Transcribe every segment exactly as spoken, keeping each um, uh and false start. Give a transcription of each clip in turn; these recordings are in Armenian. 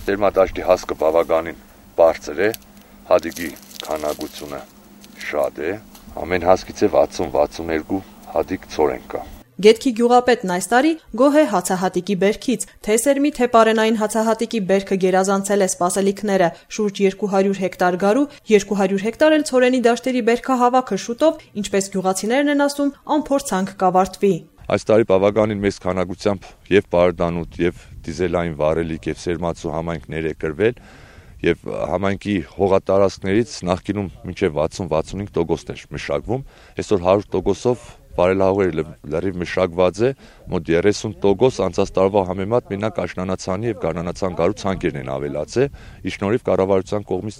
Սերմադաշտի հասկը բավականին բարձր է, հադիկի քանակությունը շատ է, ամեն հասկից է վաթսուն վաթսուն երկու հադիկ ցորեն կա։ Գետքի գյուղապետն այս տարի գոհ է հացահատիկի բերքից, թե սերմի, թե պարենային հացահատիկի բերքը գերազանցել է սպասելիքները, շուրջ երկու հարյուր հեկտար գարու, երկու հարյուր հեկտար էլ ցորենի դաշտերի բերքահավաքը շուտով, ինչպես գյուղացիներն են ասում, անփորձանք կավարտվի։ Այս տարի բավականին մեծ քանակությամբ եւ պարդանոտ եւ դիզելային վարելիք եւ սերմացու համայնքներ է կրվել եւ համայնքի հողատարածքներից նախկինում մինչեւ վաթսուն վաթսունհինգ տոկոս էր մշակվում, այսօր հարյուր տոկոսով բարելավողերը լրիվ մշակված է, մոտ երեսուն տոկոս անցած տարվա համեմատ մենակ աշնանացանի եւ գարնանացան գարու ցանկերն են ավելացել, ի շնորհիվ կառավարության կողմից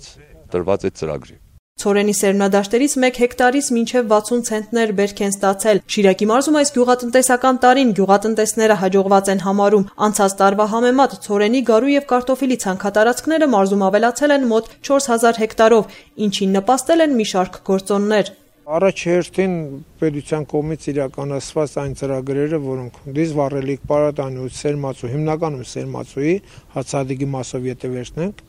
տրված այդ ծրագրի։ Ցորենի սերմնադաշտերից մեկ հեկտարից մինչև վաթսուն ցենտներ բերք են ստացել։ Շիրակի մարզում այս գյուղատնտեսական տարին գյուղատնտեսները հաջողված են համարում։ Անցած տարվա համեմատ ցորենի, գարու եւ կարտոֆիլի ցանքատարածքները մարզում ավելացել են մոտ չորս հազար հեկտարով, ինչին նպաստել են մի շարք գործոններ։ Առաջ հերթին պետության կողմից իրականացված այն ծրագրերը, որոնք դիզ վառելիք, պարադանոց, սերմացու, հիմնականում սերմացուի հացահատիկի մասով եթե վերցնենք,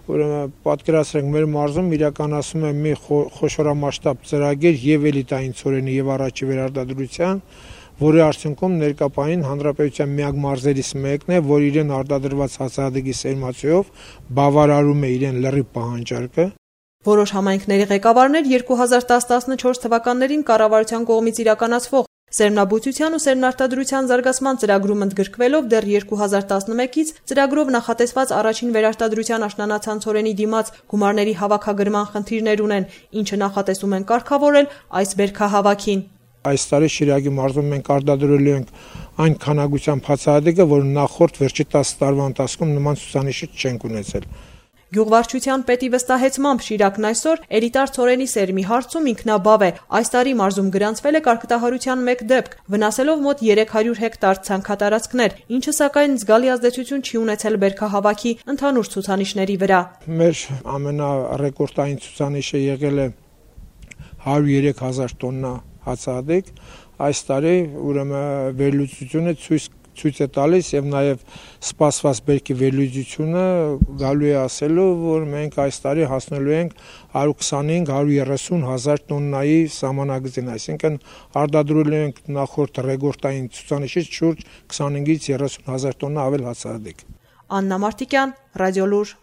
ուրեմն պատկերացրեք մեր մարզում իրականացում է մի խոշորամասշտաբ ծրագիր եւ էլիտային ցորենի եւ առաջի վերարտադրության, որի արդյունքում ներկապային հանրապետության միակ մարզերից մեկն է, որ իրեն արտադրված հացահատիկի սերմացուով բավարարում է իրեն լրիվ պահանջարկը։ Որոշ համայնքների ղեկավարներ երկու հազար տասը տասնչորս թվականներին կառավարության կողմից իրականացվող սերմնաբուծության ու սերմնարտադրության զարգացման ծրագրում ընդգրկվելով դեռ երկու հազար տասնմեկից ծրագրով նախատեսված առաջին վերարտադրության աշնանացան ցորենի դիմաց գումարների հավաքագրման խնդիրներ ունեն, ինչը նախատեսում են կարգավորել այս բերքահավաքին։ Այս տարի Շիրակի մարզում մենք արտադրելու ենք այն քանակությամբ հացահատիկը, որ նախորդ վերջի տասը տարվա ընթացքում նման ցուցանիշը չենք ունեցել։ Գյուղվարչության պետի վստահեցմամբ Շիրակն այսօր էլիտար ցորենի սերմի հարցում ինքնաբավ է։ Այս տարի մարզում գրանցվել է կարգտահարության մեկ դեպք, վնասելով մոտ երեք հարյուր հեկտար ցանքատարածքներ, ինչը սակայն զգալի ազդեցություն չի ունեցել բերքահավաքի ընդհանուր ցուցանիշների վրա։ Մեր ամենառեկորդային ցուցանիշը եղել է հարյուր երեք հազար տոննա հացահատիկ։ Այս տարի ուրեմն վերլուծությունը ցույց ցույց է տալիս եւ նաեւ սպասված բերքի վերլուծությունը գալու է ասելու, որ մենք այս տարի հասնելու ենք հարյուր քսանհինգ հարյուր երեսուն հազար տոննայի սահմանագծին, այսինքն արտադրելու ենք նախորդ ռեկորդային ցուցանիշից շուրջ քսանհինգից երեսուն հազար տոննա ավել հացահատիկ։ Աննա Մարտիկյան, Ռադիոլուր։